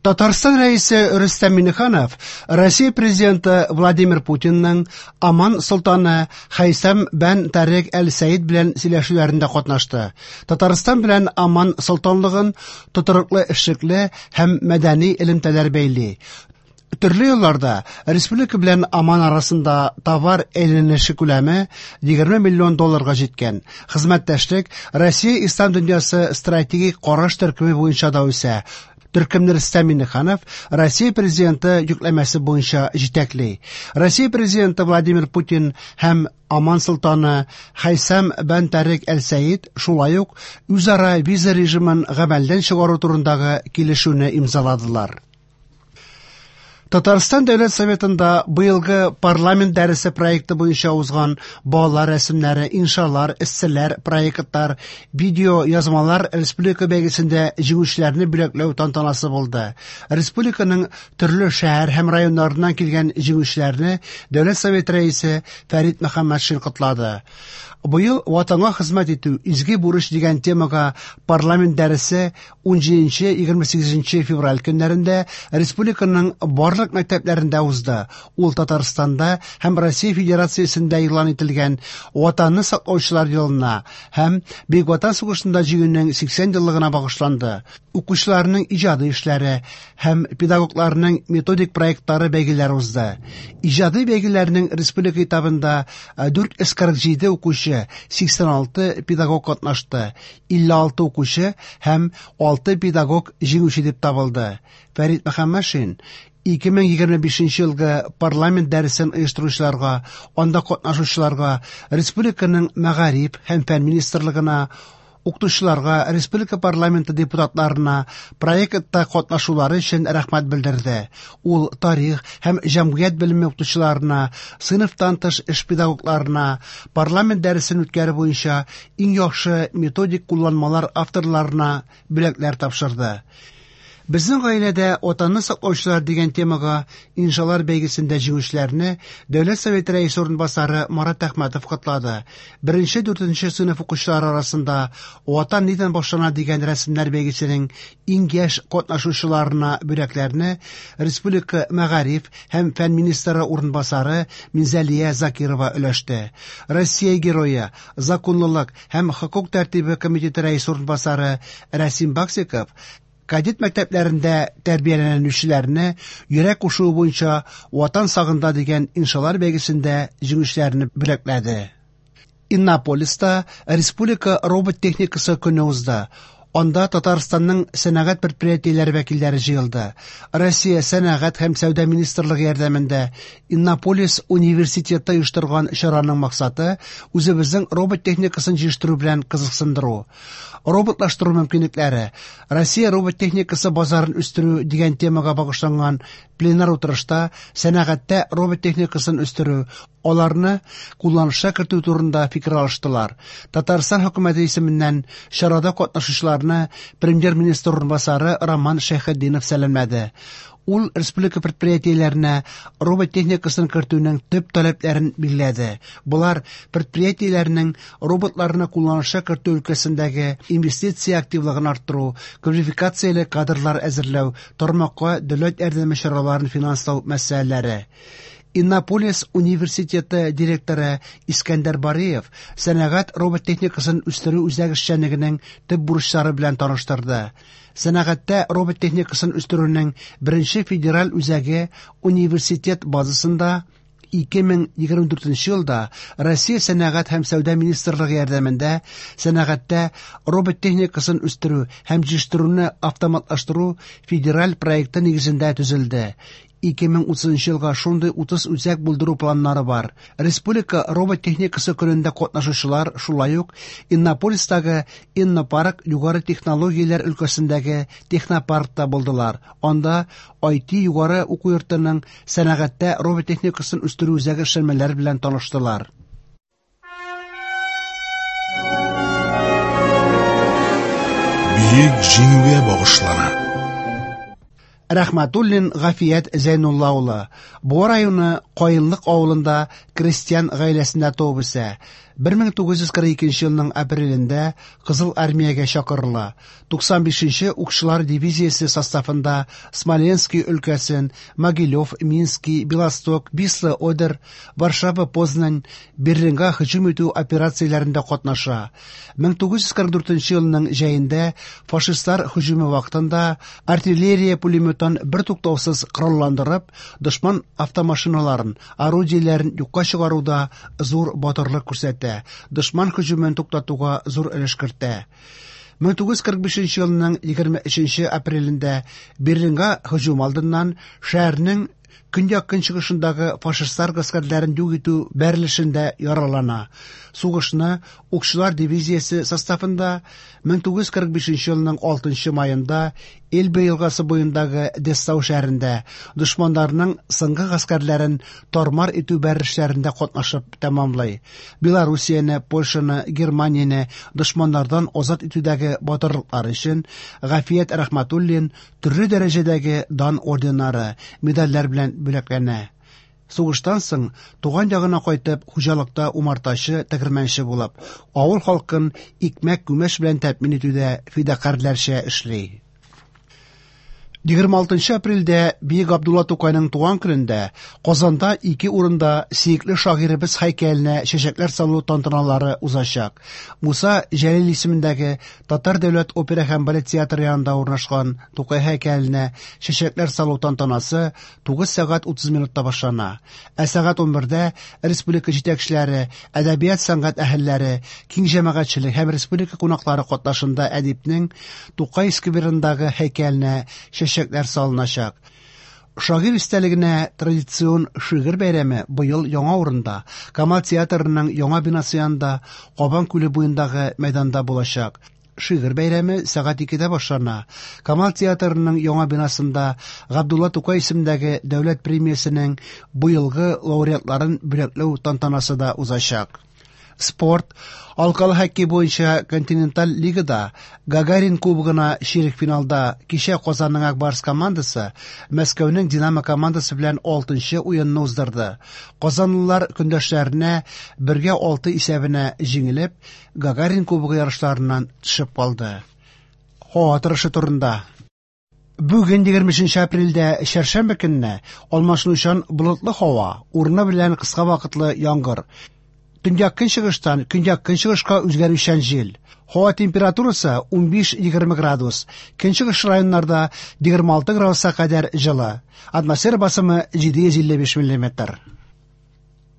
Татарстан Рәисе Рөстәм Миңнеханов Россия Президенты Владимир Путинның Оман солтаны Хәйсәм бән Тарек әл-Сәид белән сөйләшүләрендә катнашты. Татарстан белән Оман солтанлыгын тотрыклы эшлекле һәм мәдәни элемтәләр бәйли. Төрле елларда республика белән Оман арасында товар әйләнеше күләме 20 миллион долларга җиткән. Хезмәттәшлек Россия Ислам дөньясы стратегик караш төркеме буенча да үсә. Төркемне Рөстәм Миңнеханов Россия Президенты йөкләмәсе буенча җитәкли. Россия Президенты Владимир Путин һәм Оман солтаны Хәйсәм бән Тарек әл-Сәид шулай ук үзара виза режимын гамәлдән чыгару турындагы килешүне имзаладылар. Татарстан Дәүләт Советында быелгы парламент дәресе проекты буенча узган балалар рәсемнәре, иншалар, эсселәр, проектлар, видео язмалар республика бәйгесендә җиңүчеләрне бүләкләү тантанасы булды. Республиканың төрле шәһәр һәм районнарыннан килгән җиңүчеләрне Дәүләт Советы рәисе Фәрит Мөхәммәтшин котлады. Быел Ватанга хезмәт итү изге бурыч дигән темага парламент дәресе 17-28 февраль көннәрендә республиканың барлык мәктәпләрендә узды. Ул Татарстанда һәм Россия Федерациясендә игълан ителгән Ватанны саклаучылар елына һәм Бөек Ватан сугышында җиңүнең 80 еллыгына багышланды. Укучыларның иҗади эшләре һәм педагогларның методик проектлары бәйгеләре узды. Иҗади бәйгеләрнең республика этабында 447 укучы, 86 педагог катнашты. 56 укучы һәм 6 педагог җиңүче дип табылды. Фәрит Мөхәммәтшин 2025 елгы парламент дәресен оештыручыларга, анда катнашучыларга, республиканың мәгариф һәм фән министрлыгына, укытучыларга, республика парламенты депутатларына проектта катнашулары өчен рәхмәт белдерде. Ул тарих һәм җәмгыять белеме укытучыларына, сыйныфтан тыш эш педагогларына, парламент дәресен үткәрү буенча иң яхшы методик кулланмалар авторларына бүләкләр тапшырды. Безнең гаиләдә Ватанны саклаучылар дигән темага иншалар бәйгесендә җиңүчеләрне Дәүләт Советы рәисе урынбасары Марат Әхмәтов котлады. Беренче дүртенче сыйныф укучылары арасында Ватан нидән башлана дигән рәсемнәр бәйгесенең иң яшь катнашучыларына бүләкләрне республика мәгариф һәм фән министры урынбасары Минзәлия Закирова өләште. Россия Герое, Законлылык һәм хокук тәртибе комитеты рәисе урынбасары Рәсим Баксиков кадет мәктәпләрендә тәрбияләнүчеләрне йөрәк кушуы буенча Ватан сагында дигән иншалар бәйгесендә җиңүчеләрне бүләкләде. Иннополиста республика робот техникасы көне узды. Анда Татарстанның сәнәгать предприятиеләре вәкилләре җыелды. Россия сәнәгать һәм сәүдә министрлыгы ярдәмендә Иннополис университеты оештырган чараның максаты үзебезнең робот техникасын җитештерү белән кызыксындыру. Роботлаштыру мөмкинлекләре, Россия робот техникасы базарын үстерү дигән темага багышланган пленар утырышта сәнәгатьтә робот техникасын үстерү, аларны кулланышка кертү турында фикер алыштылар. Татарстан хөкүмәте исеменнән чарада катнашучыларны премьер-министр урынбасары Роман Шәйхетдинов сәламләде. Ул республика предприятиеләренә робот техникасын кертүнең төп таләпләрен билгеләде. Болар предприятиеләрнең роботларны кулланышка кертү өлкәсендәге инвестиция активлыгын арттыру, квалификацияле кадрлар әзерләү, тармакка дәүләт ярдәме чараларын финанслау мәсьәләләре. Иннополис университеты директоры Искәндәр Бариев сәнәгать робот техникасын үстерү үзәк эшчәнлегенең төп бурычлары белән таныштырды. Сәнәгатьтә робот техникасын үстерүнең беренче федераль үзәге университет базасында 2024 елда Россия Сәнәгать һәм сәүдә министрлыгы ярдәмендә сәнәгатьтә робот техникасын үстерү һәм җитештерүне автоматлаштыру федераль проекты нигезендә төзелде. 2030 елга шундый 30 үзәк булдыру планнары бар. Республика робот техникасы көнендә катнашучылар шулай ук Иннополистагы Иннопарк югары технологияләр өлкәсендәге технопаркта булдылар. Анда IT югары уку йортының сәнәгатьтә робот техникасын үстерү үзәге эшләнмәләре белән таныштылар. Бөек Җиңүгә багышлана. Рәхмәтуллин Гафият Зәйнулла улы Буа районы Каенлык авылында крестьян гаиләсендә туып үсә. 1942 елның апрелендә Кызыл Армиягә чакырыла. 95 нче укчылар дивизиясе составында Смоленский өлкәсен, Могилев, Мински, Белосток, Висла-Одер, Варшава-Познань, Берлинга һөҗүм итү операцияләрендә катнаша. 1944 елның җәендә фашистлар һөҗүме вакытында артиллерия пулеметтан бертуктаусыз коралландырып, дошман автомашиналарын, орудиеләрен юкка чыгаруда зур батырлык күрсәтә, дошман һөҗүмен туктатуга зур өлеш кертә. 1945 елның 23 апрелендә Берлинга һөҗүм алдыннан шәһәрнең көньяк-көнчыгышындагы фашистлар гаскәрләрен юк итү бәрелешендә яралана. Сугышны укчылар дивизиясе составында 1945 елның 6 маенда Эльба елгасы буендагы Дессау шәһәрендә дошманнарның соңгы гаскәрләрен тар-мар итү бәрелешләрендә катнашып тәмамлый. Белоруссияне, Польшаны, Германияне дошманнардан азат итүдәге батырлыклары өчен Гафият Рәхмәтуллин төрле дәрәҗәдәге дан орденнары, медальләр белән бүләкләнә. Сугыштан соң туган ягына кайтып, хуҗалыкта умартачы, тегермәнче булып, авыл халкын икмәк-күмәч белән тәэмин итүдә фидакарьләрчә эшли. 26 апрельдә Бөек Габдулла Тукайның туган көнендә Казанда ике урында сөекле шагыйребез һәйкәленә чәчәкләр салу тантаналары узачак. Муса Җәлил исемендәге Татар дәүләт опера һәм балет театры янында урнашкан Тукай һәйкәленә чәчәкләр салу тантанасы 9 сәгать 30 минутта башлана. Ә сәгать 11дә республика җитәкчеләре, әдәбият-сәнгать әһелләре, киң җәмәгатьчелек һәм республика кунаклары катнашында әдипнең Тукай скверындагы һәйкәленә чәчәкләр салыначак. Шагыйрь истәлегенә традицион шигырь бәйрәме быел яңа урында, Камал театрының яңа бинасы янында, Кабан күле буендагы мәйданда булачак. Шигырь бәйрәме сәгать 2дә башлана. Камал театрының яңа бинасында Габдулла Тукай исемендәге дәүләт премиясенең быелгы лауреатларын бүләкләү тантанасы да узачак. Спорт, алкалы хоккей буенча континенталь лигада Гагарин кубогына чирек финалда кичә Казанның Ак Барс командасы Мәскәүнең Динамо командасы белән 6нчы уенны уздырды. Казанлылар көндәшләренә 1-6 исәбенә җиңелеп, Гагарин кубогы ярышларыннан төшеп калды. Һава торышы турында. Бүген 23 апрельдә чәршәмбе көнне алмашынучан болытлы һава, урыны белән кыска вакытлы яңгыр. Төньяк-көнчыгыштан көньяк-көнчыгышка үзгәрүчән җил. Һава температурасы 15-20 градус. Көнчыгыш районнарда 26 градуска кадәр җылы. Атмосфера басымы 755 миллиметр.